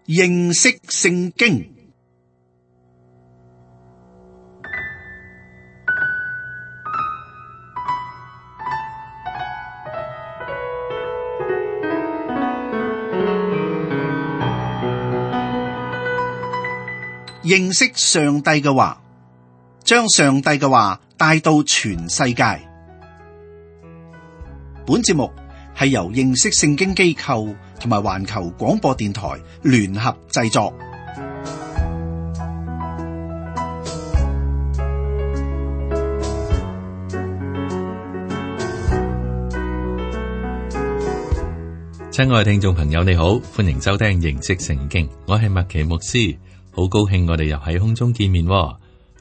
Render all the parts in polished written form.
認識聖經。認識上帝嘅話，將上帝嘅話帶到全世界。本節目係由認識聖經機構同埋環球廣播電台聯合製作。親愛嘅聽眾朋友，你好，歡迎收聽認識聖經，我係麥奇牧師，好高興我哋又喺空中見面。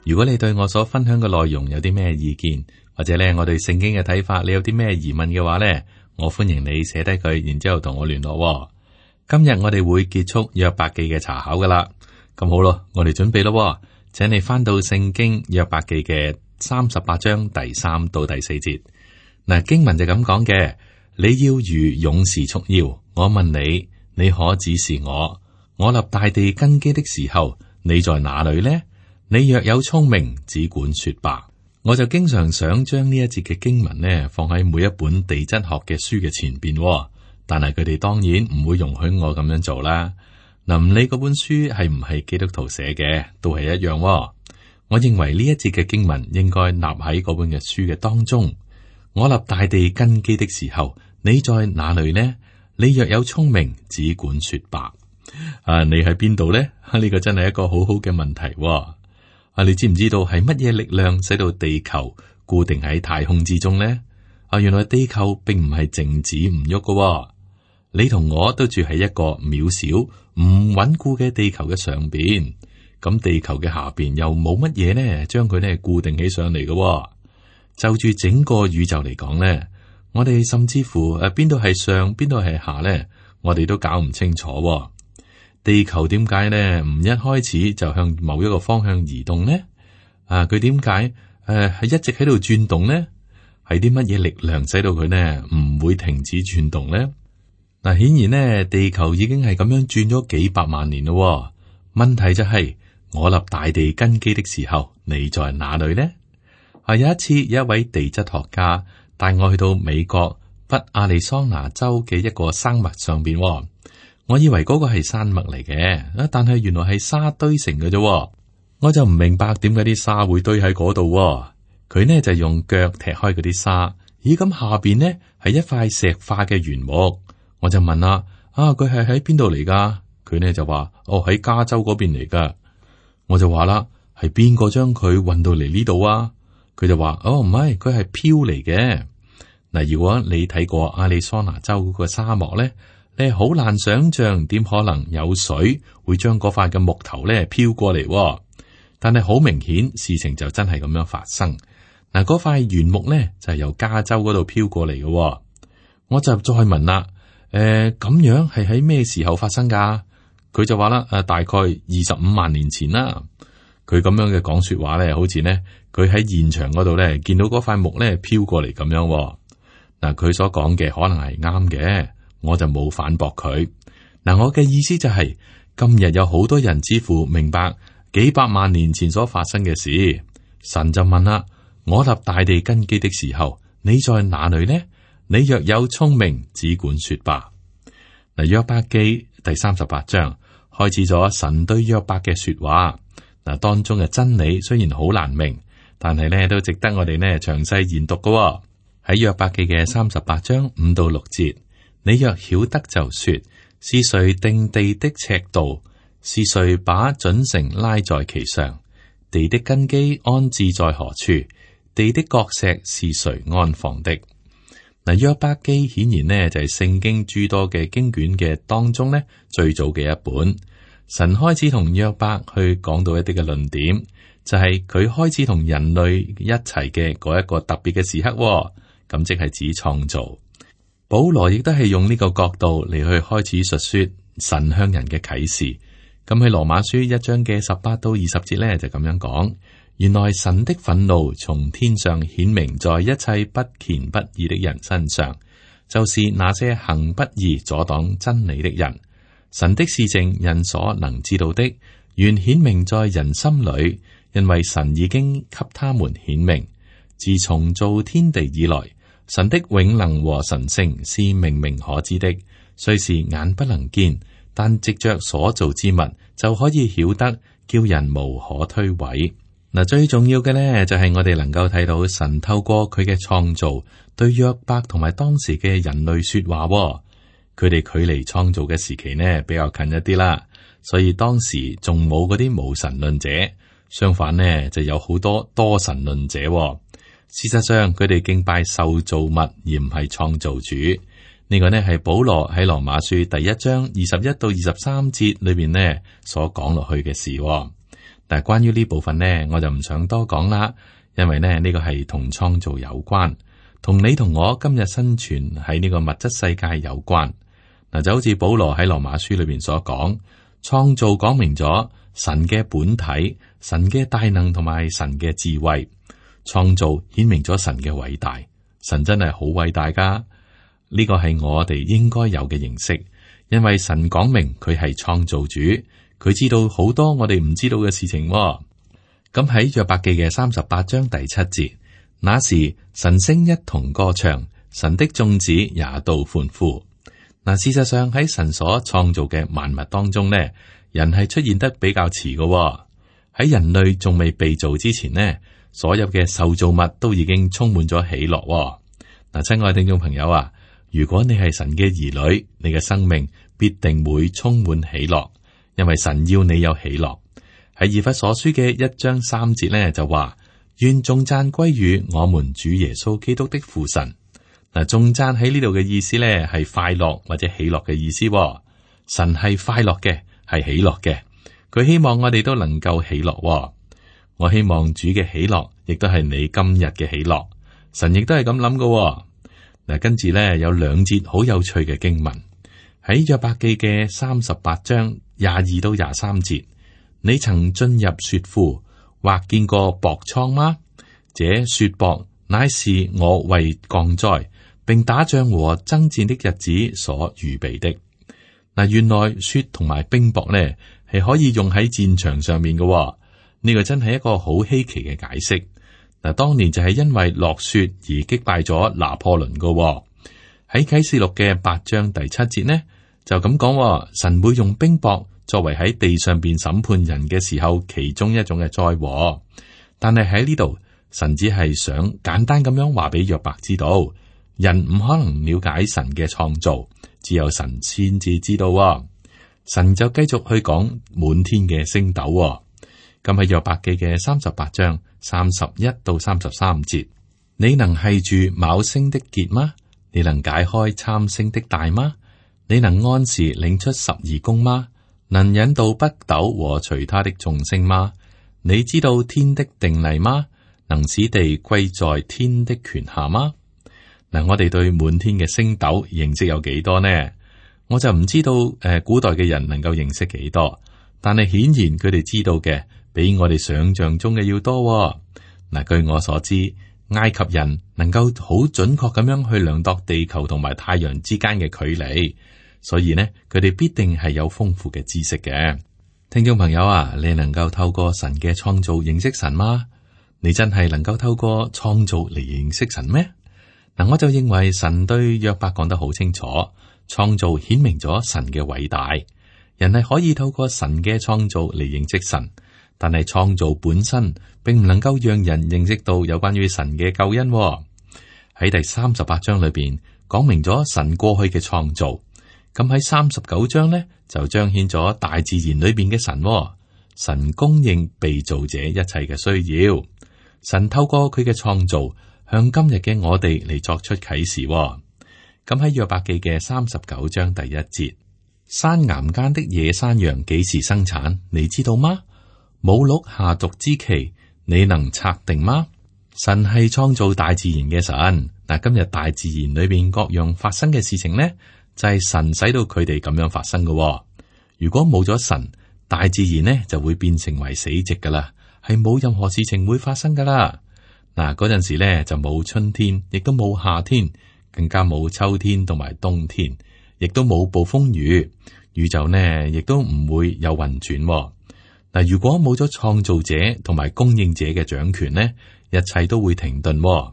如果你對我所分享嘅內容有啲咩意見，或者咧我對聖經嘅睇法，你有啲咩疑問嘅話咧，我歡迎你寫低佢，然之後同我聯絡。今日我哋會結束約伯記嘅查考噶啦，咁好咯，我哋準備咯，請你翻到聖經約伯記嘅38章第3到第4節。嗱，經文就咁講嘅。你要如勇士束腰，我問你，你可指示我？我立大地根基的時候，你在哪裏呢？你若有聰明，只管說吧。我就經常想將呢一節嘅經文呢放喺每一本地質學嘅書嘅前邊，但係佢哋當然唔會容許我咁樣做啦。嗱，唔理嗰本書係唔係基督徒寫嘅，都係一樣。我認為呢一節嘅經文應該立喺嗰本嘅書嘅當中。我立大地根基的時候，你在哪裏呢？你若有聰明，只管說吧。你喺邊度呢？呢個真係一個好好嘅問題。你知唔知道係乜嘢力量使到地球固定喺太空之中呢？原來地球並唔係靜止唔喐㗎。你同我都住喺一個渺小唔穩固嘅地球嘅上邊，咁地球嘅下邊又冇乜嘢呢，將佢呢固定起上嚟嘅。就住整個宇宙嚟講咧，我哋甚至乎邊度係上，邊度係下咧，我哋都搞唔清楚。地球點解咧唔一開始就向某一個方向移動呢？佢點解係一直喺度轉動呢？係啲乜嘢力量使到佢呢唔會停止轉動咧？嗱，顯然呢，地球已經係咁樣轉咗幾百萬年咯。問題就係，我立大地根基的時候，你在哪裏呢？有一次，有一位地質學家帶我去到美國北亞利桑那州嘅一個山脈上邊。我以為嗰個係山脈嚟嘅，但係原來係沙堆成嘅啫。我就唔明白點解啲沙會堆喺嗰度。佢呢就用腳踢開嗰啲沙，咦，咁下邊呢係一塊石化嘅原木。我就問啦，佢係喺邊度嚟噶？佢呢就話，喺加州嗰邊嚟噶。我就話啦，係邊個將佢運到嚟呢度啊？佢就話，唔係，佢係飄嚟嘅。嗱，如果你睇過亞利桑那州嗰個沙漠咧，你好難想象點可能有水會將嗰塊嘅木頭咧飄過嚟。但係好明顯，事情就真係咁樣發生。嗱，嗰塊原木咧就係由加州嗰度飄過嚟嘅。我就再問啦，咁樣係喺咩時候發生噶？佢就話啦，大概25萬年前啦。佢咁樣嘅講說話咧，好似呢，佢喺現場嗰度咧見到嗰塊木咧飄過嚟咁樣。嗱，佢所講嘅可能係啱嘅，我就冇反駁佢。嗱，我嘅意思就係，今日有好多人似乎明白幾百萬年前所發生嘅事。神就問啦，我立大地根基的時候，你在哪裏呢？你若有聰明，只管說吧。嗱，約伯記第38章開始咗神對約伯嘅說話。嗱，當中嘅真理雖然好難明，但係咧都值得我哋呢詳細研讀嘅。喺約伯記嘅38章5到6節，你若曉得就說，是誰定地的尺度？是誰把準繩拉在其上？地的根基安置在何處？地的角石是誰安放的？嗱，約伯記顯然呢就係聖經諸多嘅經卷嘅當中呢最早嘅一本。神開始同約伯去講到一啲嘅論點，就係佢開始同人類一齊嘅嗰一個特別嘅時刻，咁即係指創造。保羅亦都係用呢個角度嚟去開始述說神向人嘅啟示。咁喺羅馬書1章嘅18到20節咧就咁樣講，原來神的憤怒從天上顯明在一切不虔不義的人身上，就是那些行不義阻擋真理的人。神的事情人所能知道的，原顯明在人心裏，因為神已經給他們顯明。自從造天地以來，神的永能和神性是明明可知的，雖是眼不能見，但藉着所造之物就可以曉得，叫人無可推諉。嗱，最重要嘅呢，就係我哋能夠睇到神透過佢嘅創造對約伯同埋當時嘅人類說話。佢哋距離創造嘅時期呢比較近一啲啦，所以當時仲冇嗰啲無神論者，相反呢就有好多多神論者。事實上，佢哋敬拜受造物而唔係創造主。呢個呢係保羅喺羅馬書第1章21到23節裏邊呢所講落去嘅事。但係關於呢部分呢，我就唔想多講啦，因為呢個係同創造有關，同你同我今日生存喺呢個物質世界有關。嗱，就好似保羅喺羅馬書裏邊所講，創造講明咗神嘅本體、神嘅大能同埋神嘅智慧。創造顯明咗神嘅偉大，神真係好偉大噶。呢個係我哋應該有嘅認識，因為神講明佢係創造主，佢知道好多我哋唔知道嘅事情。咁喺約伯記嘅38章第7節，那時晨星一同歌唱，神的眾子也都歡呼。嗱，事實上喺神所創造嘅萬物當中呢，人係出現得比較遲嘅。喺人類仲未被造之前呢，所有嘅受造物都已經充滿咗喜樂。嗱，親愛聽眾朋友啊，如果你係神嘅兒女，你嘅生命必定會充滿喜樂，因為神要你有喜樂。喺以弗所書嘅1章3節呢，就話，願頌讚歸於我們主耶穌基督的父神。嗱，頌讚喺呢度嘅意思呢，係快樂或者喜樂嘅意思。神係快樂嘅，係喜樂嘅，佢希望我哋都能夠喜樂。我希望主嘅喜樂，亦都係你今日嘅喜樂。神亦都係咁諗㗎。嗱，跟住咧有2節好有趣嘅經文，喺約伯記嘅38章22到23節。你曾進入雪庫，或見過雹倉嗎？這雪雹乃是我為降災，並打仗和爭戰的日子所預備的。嗱，原來雪同埋冰雹呢，係可以用喺戰場上面嘅。呢個真係一個好稀奇嘅解釋。嗱，當年就係因為落雪而擊敗咗拿破崙嘅。喺啟示錄嘅8章第7節呢，就咁講，神會用冰雹作為喺地上邊審判人嘅時候其中一種嘅災禍。但係喺呢度，神只係想簡單咁樣話俾約伯知道，人唔可能了解神嘅創造，只有神先至知道。神就繼續去講滿天嘅星斗。咁喺約伯記嘅38章31到33節，你能繫住昴星的結嗎？你能解開參星的帶嗎？你能按時領出12宮嗎？能引導北斗和隨他的眾星嗎？你知道天的定例嗎？能使地歸在天的權下嗎？嗱，我哋對滿天嘅星斗認識有幾多呢？我就唔知道古代嘅人能夠認識幾多，但係顯然佢哋知道嘅比我哋想象中嘅要多。嗱，據我所知，埃及人能夠好準確咁樣去量度地球同埋太陽之間嘅距離，所以呢，佢哋必定係有豐富嘅知識嘅。聽眾朋友啊，你能夠透過神嘅創造認識神嗎？你真係能夠透過創造嚟認識神咩？嗱，我就認為神對約伯講得好清楚，創造顯明咗神嘅偉大，人係可以透過神嘅創造嚟認識神。但係創造本身並唔能夠讓人認識到有關於神嘅救恩。喺第38章裏邊講明咗神過去嘅創造，咁喺39章呢，就彰顯咗大自然裏邊嘅神。神供應被造者一切嘅需要，神透過佢嘅創造向今日嘅我哋嚟作出啟示。咁喺約伯記嘅39章第1節，山岩間的野山羊幾時生產？你知道嗎？母鹿下犢之期，你能測定嗎？神係創造大自然嘅神。嗱，今日大自然裏邊各樣發生嘅事情呢，就係神使到佢哋咁樣發生嘅。如果冇咗神，大自然呢就會變成為死寂噶啦，係冇任何事情會發生噶啦。嗱，嗰陣時呢就冇春天，亦都冇夏天，更加冇秋天同埋冬天，亦都冇暴風雨。宇宙呢亦都唔會有運轉。嗱，如果冇咗創造者同埋供應者嘅掌權呢，一切都會停頓。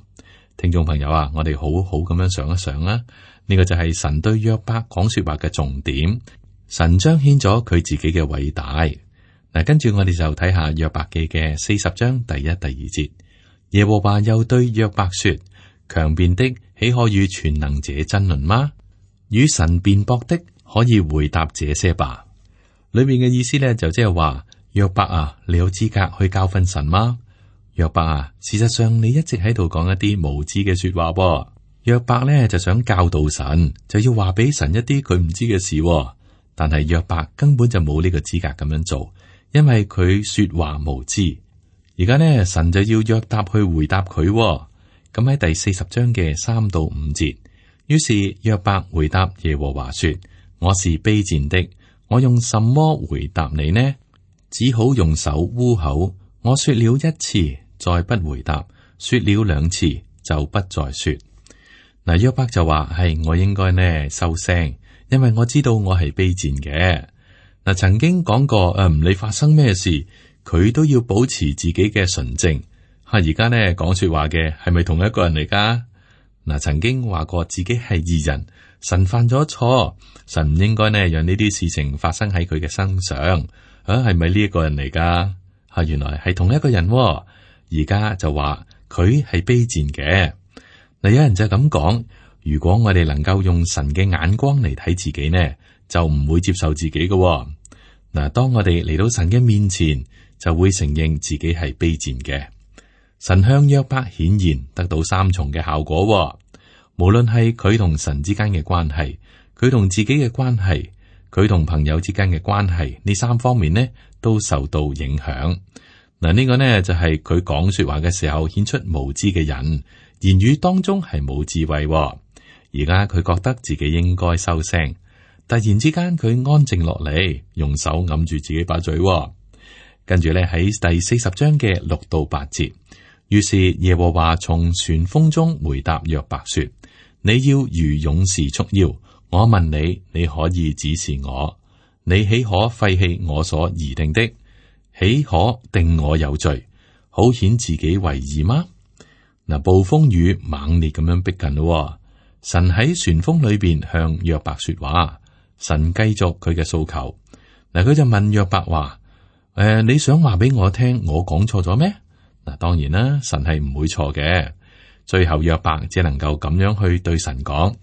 聽眾朋友啊，我哋好好咁樣想一想啦，呢個就係神對約伯講說話嘅重點。神彰顯咗佢自己嘅偉大。嗱，跟住我哋就睇下約伯記嘅40章第1、第2節。耶和華又對約伯說：強辯的豈可與全能者爭論嗎？與神辯駁的可以回答這些吧。裏面嘅意思呢，就即係話，約伯啊，你有資格去教訓神嗎？約伯啊，事實上你一直喺度講一啲無知嘅說話噃。約伯呢就想教導神，就要話俾神一啲佢唔知嘅事，但係約伯根本就冇呢個資格咁樣做，因為佢說話無知。而家呢，神就要約伯去回答佢。咁喺第40章嘅3到5節，於是約伯回答耶和華說：我是卑賤的，我用什麼回答你呢？只好用手污口。我說了1次，再不回答；說了2次，就不再說。嗱，約伯就話：係我應該呢收聲，因為我知道我係卑賤嘅。嗱，曾經講過唔理發生咩事，佢都要保持自己嘅純正。而家呢講說話嘅係咪同一個人嚟噶？嗱，曾經話過自己係義人，神犯咗錯，神唔應該呢讓呢啲事情發生喺佢嘅身上。係咪呢一個人嚟噶？原來係同一個人。而家就話佢係卑賤嘅。嗱，有人就咁講，如果我哋能夠用神嘅眼光嚟睇自己呢，就唔會接受自己嘅。嗱，當我哋嚟到神嘅面前，就會承認自己係卑賤嘅。神向約伯顯現，得到3重嘅效果。無論係佢同神之間嘅關係，佢同自己嘅關係，佢同朋友之間嘅關係，呢3方面呢都受到影響。嗱，呢個呢就係佢講說話嘅時候顯出無知嘅人，言語當中係冇智慧。而家佢覺得自己應該收聲，突然之間佢安靜落嚟，用手揞住自己把嘴。跟住咧喺第40章嘅6到8節，於是耶和華從旋風中回答約伯說：你要如勇士束腰，我問你，你可以指示我？你豈可廢棄我所擬定的？豈可定我有罪，好顯自己為義嗎？嗱，暴風雨猛烈咁樣逼近咯。神喺旋風裏邊向約伯說話，神繼續佢嘅訴求。嗱，佢就問約伯話：你想話俾我聽，我講錯咗咩？嗱，當然啦，神係唔會錯嘅。最後約伯只能夠咁樣去對神講：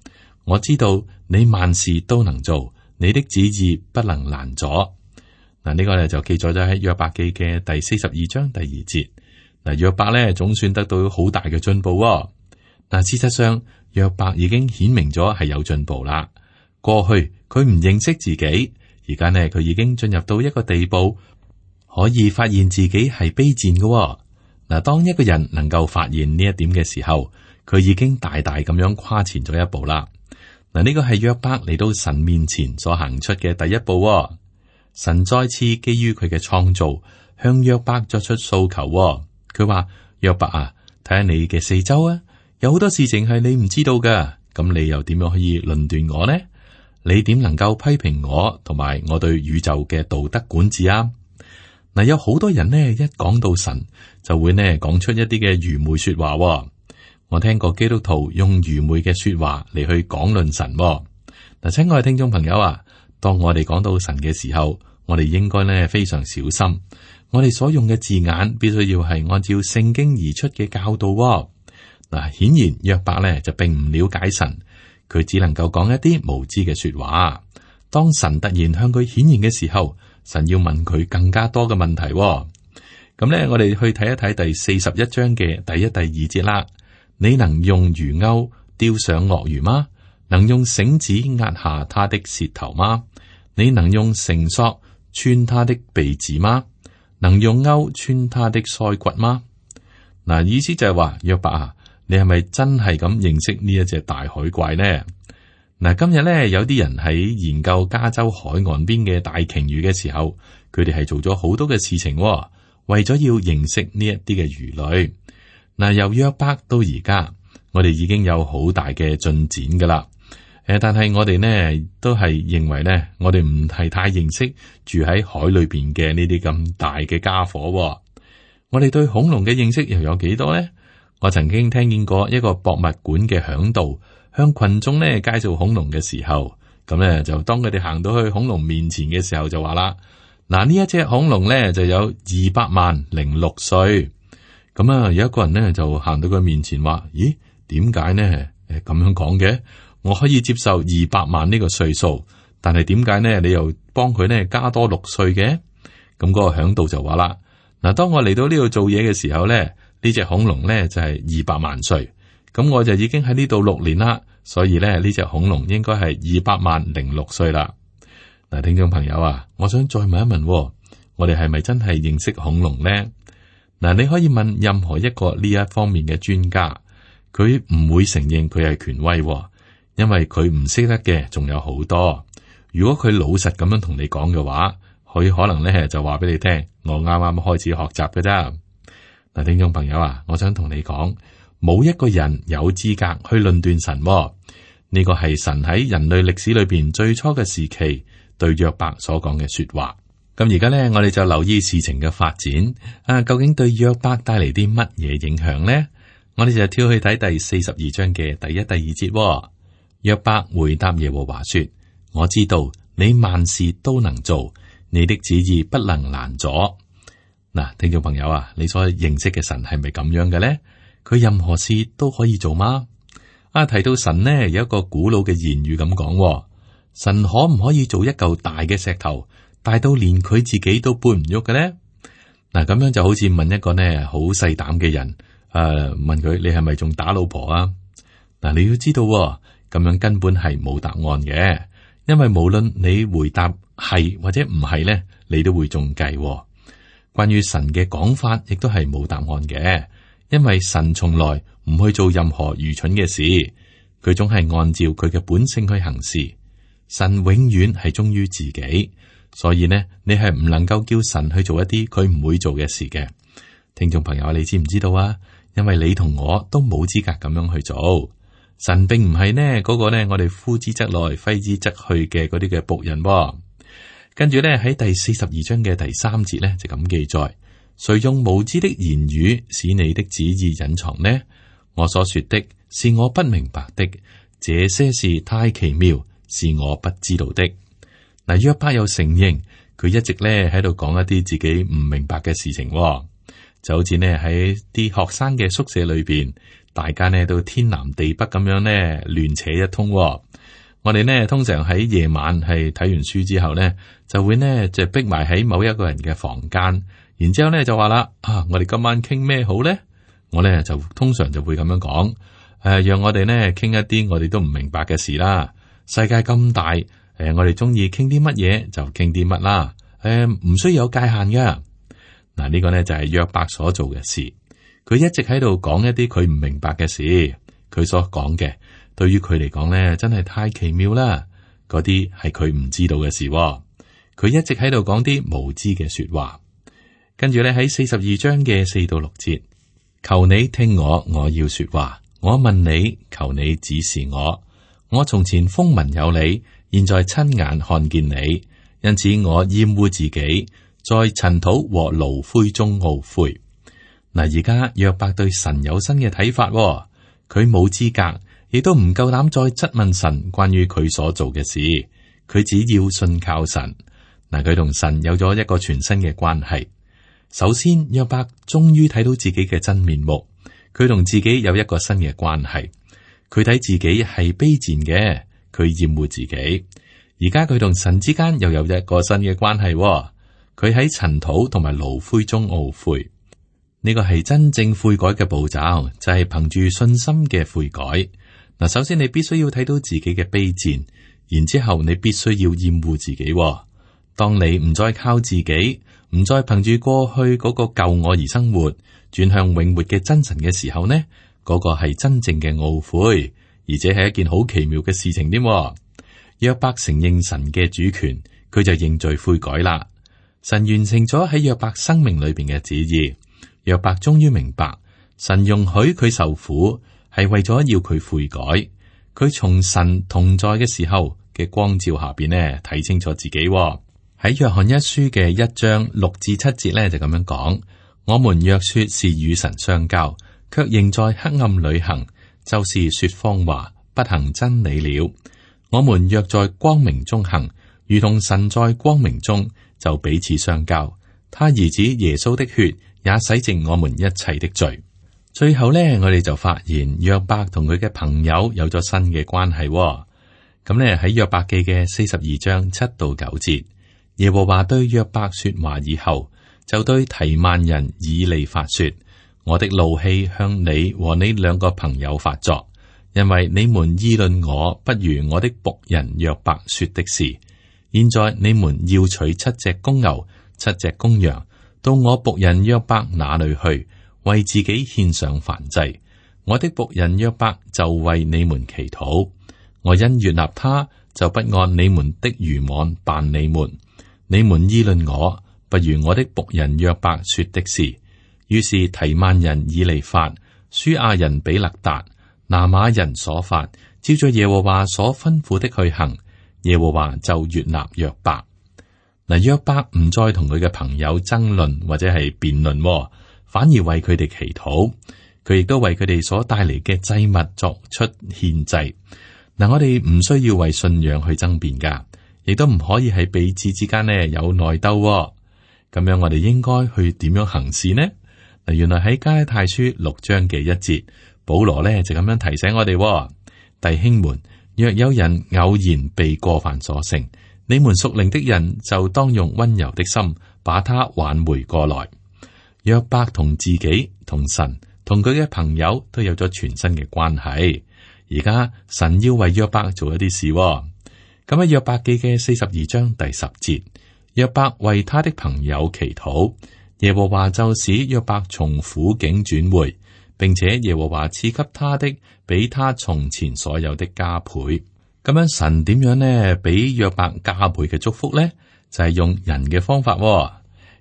我知道你萬事都能做，你的旨意不能攔阻。嗱，呢個咧就記載咗喺約伯記嘅第42章第2節。嗱，約伯咧總算得到好大嘅進步。嗱，事實上約伯已經顯明咗係有進步啦。過去佢唔認識自己，而家呢佢已經進入到一個地步，可以發現自己係卑賤嘅。嗱，當一個人能夠發現呢一點嘅時候，佢已經大大咁樣跨前咗一步啦。嗱，呢個係約伯嚟到神面前所行出嘅第一步。神再次基於佢嘅創造，向約伯作出訴求。佢話：約伯啊，睇下你嘅四周啊，有好多事情係你唔知道噶，咁你又點樣可以論斷我呢？你點能夠批評我同埋我對宇宙嘅道德管治啊？嗱，有好多人呢，一講到神就會呢講出一啲嘅愚昧說話。我聽過基督徒用愚昧嘅說話嚟去講論神。嗱，親愛嘅聽眾朋友啊，當我哋講到神嘅時候，我哋應該呢非常小心，我哋所用嘅字眼必須要係按照聖經而出嘅教導。嗱，顯然約伯呢就並唔了解神，佢只能夠講一啲無知嘅說話。當神突然向佢顯現嘅時候，神要問佢更加多嘅問題。咁呢，我哋去睇一睇第41章嘅第1、第2節啦。你能用魚鈎釣上鱷魚嗎？能用繩子壓下他的舌頭嗎？你能用繩索穿他的鼻子嗎？能用鈎穿他的腮骨嗎？嗱，意思就係話，約伯啊，你係咪真係咁認識呢一隻大海怪呢？嗱，今日咧有啲人喺研究加州海岸邊嘅大鯨魚嘅時候，佢哋係做咗好多嘅事情，為咗要認識呢一啲嘅魚類。嗱，由約伯到而家，我哋已經有好大嘅進展噶啦。但係我哋呢都係認為呢，我哋唔係太認識住喺海裏邊嘅呢啲咁大嘅家伙。我哋對恐龍嘅認識又有幾多呢？我曾經聽見過一個博物館嘅響導向群眾呢介紹恐龍嘅時候，咁呢就當佢哋行到去恐龍面前嘅時候就話啦，嗱，呢一隻恐龍呢就有200萬06歲。咁啊，有一個人呢就行到佢面前話：咦，點解呢？咁樣講嘅？我可以接受200萬呢個歲數，但係點解呢？你又幫佢呢加多6歲嘅？咁嗰個響導就話啦，嗱，當我嚟到呢度做嘢嘅時候呢，呢隻恐龍呢就係200萬歲，咁我就已經喺呢度6年啦，所以呢，呢隻恐龍應該係200萬06歲啦。嗱，聽眾朋友啊，我想再問一問，我哋係咪真係認識恐龍呢？嗱，你可以問任何一個呢一方面嘅專家，佢唔會承認佢係權威，因為佢唔識得嘅仲有好多。如果佢老實咁樣同你講嘅話，佢可能咧就話俾你聽，我啱啱開始學習嘅啫。嗱，聽眾朋友啊，我想同你講，冇一個人有資格去論斷神。呢個係神喺人類歷史裏邊最初嘅時期對約伯所講嘅說話。咁而家咧，我哋就留意事情嘅發展啊，究竟對約伯帶嚟啲乜嘢影響呢？我哋就跳去睇第42章嘅第1、第2節。約伯回答耶和華說：我知道你萬事都能做，你的旨意不能攔阻。嗱，聽眾朋友啊，你所認識嘅神係咪咁樣嘅咧？佢任何事都可以做嗎？啊，提到神呢，有一個古老嘅言語咁講，神可唔可以做一嚿大嘅石頭，大到連佢自己都搬唔喐嘅咧？嗱，咁樣就好似問一個呢好細膽嘅人，問佢你係咪仲打老婆啊？嗱，你要知道，咁樣根本係冇答案嘅，因為無論你回答係或者唔係咧，你都會中計。關於神嘅講法，亦都係冇答案嘅，因為神從來唔去做任何愚蠢嘅事，佢總係按照佢嘅本性去行事。神永遠係忠於自己，所以呢，你係唔能夠叫神去做一啲佢唔會做嘅事嘅。聽眾朋友，你知唔知道啊？因為你同我都冇資格咁樣去做。神並唔係呢嗰個呢，我哋呼之則來，揮之則去嘅嗰啲嘅僕人。跟住呢，喺第42章嘅第3節呢，就咁記載：誰用無知的言語使你的旨意隱藏呢？我所說的是我不明白的，這些事太奇妙，是我不知道的。嗱，約伯又承認佢一直呢喺度講一啲自己唔明白嘅事情，就好似呢喺啲學生嘅宿舍裏邊。大家呢都天南地北咁樣呢亂扯一通。我哋呢通常喺夜晚係睇完書之後呢，就會呢就逼埋喺某一個人嘅房間，然之後呢就話啦，我哋今晚傾咩好呢？我呢就通常就會咁樣講，讓我哋呢傾一啲我哋都唔明白嘅事啦。世界咁大，我哋中意傾啲乜嘢就傾啲乜啦，唔需要有界限噶。嗱，呢個呢就係約伯所做嘅事。佢一直喺度講一啲佢唔明白嘅事，佢所講嘅對於佢嚟講咧，真係太奇妙啦！嗰啲係佢唔知道嘅事，佢一直喺度講啲無知嘅說話。跟住咧喺42章嘅4到6節，求你聽我，我要說話。我問你，求你指示我。我從前風聞有你，現在親眼看見你，因此我厭惡自己，在塵土和爐灰中懊悔。嗱，而家約伯對神有新嘅睇法，佢冇資格，亦都唔夠膽再質問神關於佢所做嘅事，佢只要信靠神。嗱，佢同神有咗一個全新嘅關係。首先，約伯終於睇到自己嘅真面目，佢同自己有一個新嘅關係。佢睇自己係卑賤嘅，佢厭惡自己。而家佢同神之間又有一個新嘅關係，佢喺塵土同埋爐灰中懊悔。呢個係真正悔改嘅步驟，就係憑住信心嘅悔改。嗱，首先你必須要睇到自己嘅卑賤，然之後你必須要厭惡自己。當你唔再靠自己，唔再憑住過去嗰個舊我而生活，轉向永活嘅真神嘅時候呢，嗰個係真正嘅懊悔，而且係一件好奇妙嘅事情添。約伯承認神嘅主權，佢就認罪悔改啦。神完成咗喺約伯生命裏邊嘅旨意。約伯終於明白，神容許佢受苦係為咗要佢悔改，佢從神同在嘅時候嘅光照下邊呢，睇清楚自己喎。喺約翰一書嘅1章6至7節呢，就咁樣講：我們若說是與神相交，卻仍在黑暗裏行，就是說謊話，不行真理了。我們若在光明中行，如同神在光明中，就彼此相交。他兒子耶穌的血也洗淨我們一切的罪。最後呢，我哋就發現約伯同佢嘅朋友有咗新嘅關係喎。咁呢，喺約伯記嘅42章7到9節，耶和華對約伯說話以後，就對提曼人以利法說：我的怒氣向你和你兩個朋友發作，因為你們議論我不如我的僕人約伯說的是。現在你們要取7隻公牛、7隻公羊，到我僕人約伯那裡去，為自己獻上燔祭。我的僕人約伯就為你們祈禱。我因悅納他，就不按你們的愚妄辦你們。你們議論我，不如我的僕人約伯說的是。於是提曼人以利法、書亞人比勒達、拿瑪人所法，照着耶和華所吩咐的去行。耶和華就悅納約伯。嗱，約伯唔再同佢嘅朋友爭論或者係辯論，反而為佢哋祈禱。佢亦都為佢哋所帶嚟嘅祭物作出獻祭。嗱，我哋唔需要為信仰去爭辯噶，亦都唔可以喺彼此之間呢有內鬥。咁樣我哋應該去點樣行事呢？嗱，原來喺加拉太書6章嘅1節，保羅呢就咁樣提醒我哋：弟兄們，若有人偶然被過犯所勝，你們屬靈的人就當用溫柔的心把他挽回過來。約伯同自己、同神、同佢嘅朋友都有咗全新嘅關係。而家神要為約伯做一啲事。咁喺約伯記嘅42章第10節，約伯為他的朋友祈禱，耶和華就使約伯從苦境轉回，並且耶和華賜給他的比他從前所有的加倍。咁樣神點樣呢？俾約伯加倍嘅祝福呢？就係用人嘅方法。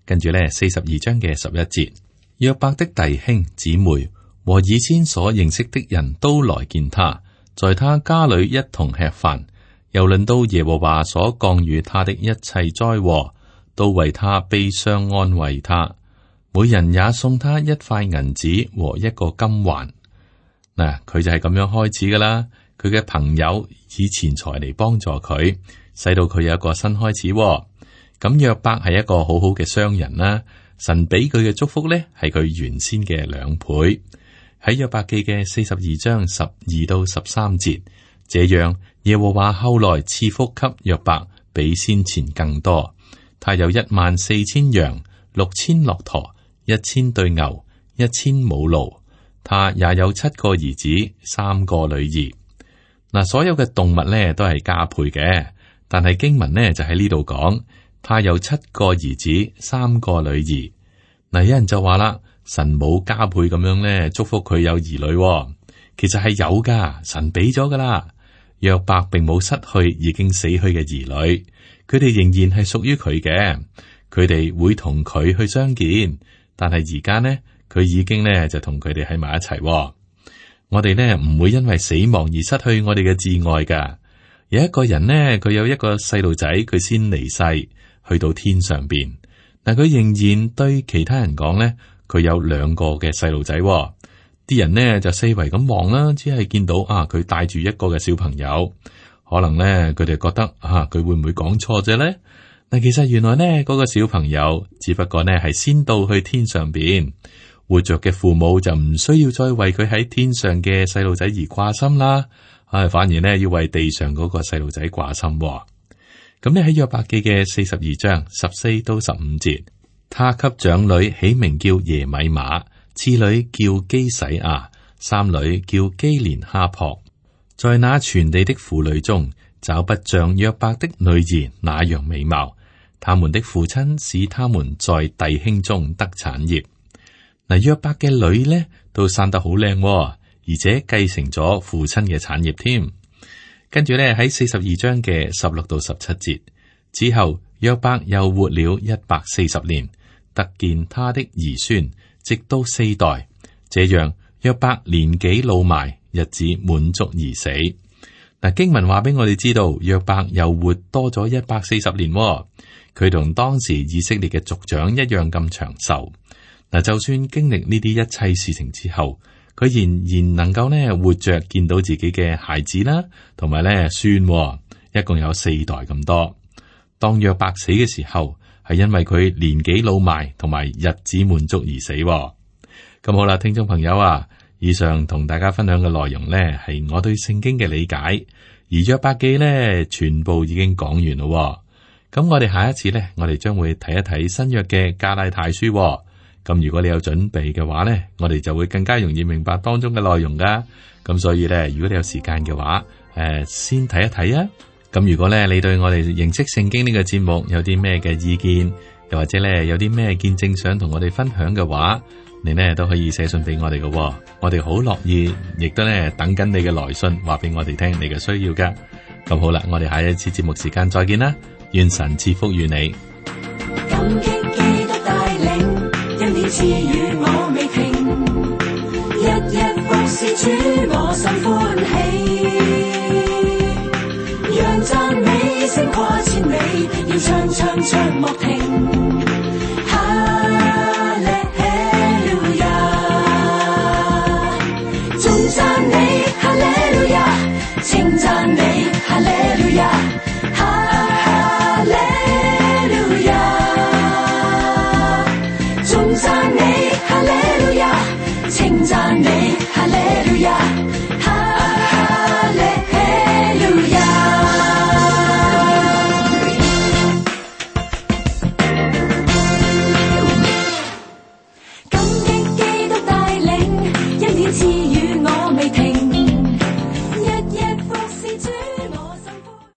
跟住呢42章嘅11節，約伯的弟兄姊妹和以前所認識的人都來見他，在他家裏一同吃飯。又論到耶和華所降與他的一切災禍，都為他悲傷安慰他。每人也送他一塊銀子和一個金環。嗱，佢就係咁樣開始噶啦。佢嘅朋友以錢財嚟幫助佢，使到佢有一個新開始。咁約伯係一個好好嘅商人啦。神俾佢嘅祝福呢，係佢原先嘅2倍。喺約伯記嘅42章12到13節，這樣耶和華後來賜福給約伯，比先前更多。他有14000羊、6000駱駝、1000對牛、1000母驢。他也有7個兒子、3個女兒。嗱，所有嘅動物呢都係加倍嘅，但係經文呢就喺呢度講，他有7個兒子、3個女兒。嗱，有人就話啦，神冇加倍咁樣呢祝福佢有兒女，其實係有噶，神俾咗噶啦。約伯並冇失去已經死去嘅兒女，佢哋仍然係屬於佢嘅，佢哋會同佢去相見。但係而家呢，佢已經呢就同佢哋喺埋一齊。我哋呢唔會因為死亡而失去我哋嘅摯愛噶。有一個人呢，佢有一個細路仔，佢先離世，去到天上邊。但佢仍然對其他人講呢，佢有2個嘅細路仔。啲人呢就四圍咁望啦，只係見到佢帶住一個嘅小朋友。可能呢，佢哋覺得佢會唔會講錯啫呢？但其實原來呢，嗰個小朋友只不過呢係先到去天上邊。活着嘅父母就唔需要再為佢喺天上嘅細路仔而掛心啦，反而呢要為地上嗰個細路仔掛心。咁呢喺約伯記嘅42章14到15節，他給長女起名叫耶米瑪，次女叫基洗亞，三女叫基連哈珀。在那全地的婦女中，找不像約伯的女兒那樣美貌。他們的父親使他們在弟兄中得產業。嗱，約伯嘅女呢都生得好靚，而且繼承咗父親嘅產業添。跟住呢喺42章嘅16到17節之後，約伯又活了140年，得見他的兒孫，直到4代。這樣約伯年紀老邁，日子滿足而死。嗱，經文話俾我哋知道，約伯又活多咗140年，佢同當時以色列嘅族長一樣咁長壽。嗱，就算經歷呢啲一切事情之後，佢仍然能夠咧活着見到自己嘅孩子啦，同埋咧孫，一共有4代咁多。當約伯死嘅時候，係因為佢年紀老邁同埋日子滿足而死。咁好啦，聽眾朋友啊，以上同大家分享嘅內容呢，係我對聖經嘅理解，而約伯記呢，全部已經講完咯。咁我哋下一次呢，我哋將會睇一睇新約嘅加拉太書。咁如果你有準備嘅話呢，我哋就會更加容易明白當中嘅內容噶。咁所以呢，如果你有時間嘅話，先睇一睇啊。咁如果呢，你對我哋認識聖經呢個節目有啲咩嘅意見，又或者呢，有啲咩見證想同我哋分享嘅話，你呢都可以寫信俾我哋嘅。我哋好樂意，亦都呢等緊你嘅來信，話俾我哋聽你嘅需要噶。咁好啦，我哋下一次節目時間再見啦，願神賜福於你。感激基督帶領，恩典賜予我未停，日日服侍主，我心歡喜。讓讚美聲跨千里，要唱唱唱莫停。哈利路亞，頌讚你，哈利路亞，稱讚你，哈利路亞，哈利路亞，頌讚你，哈利路亞，稱讚你。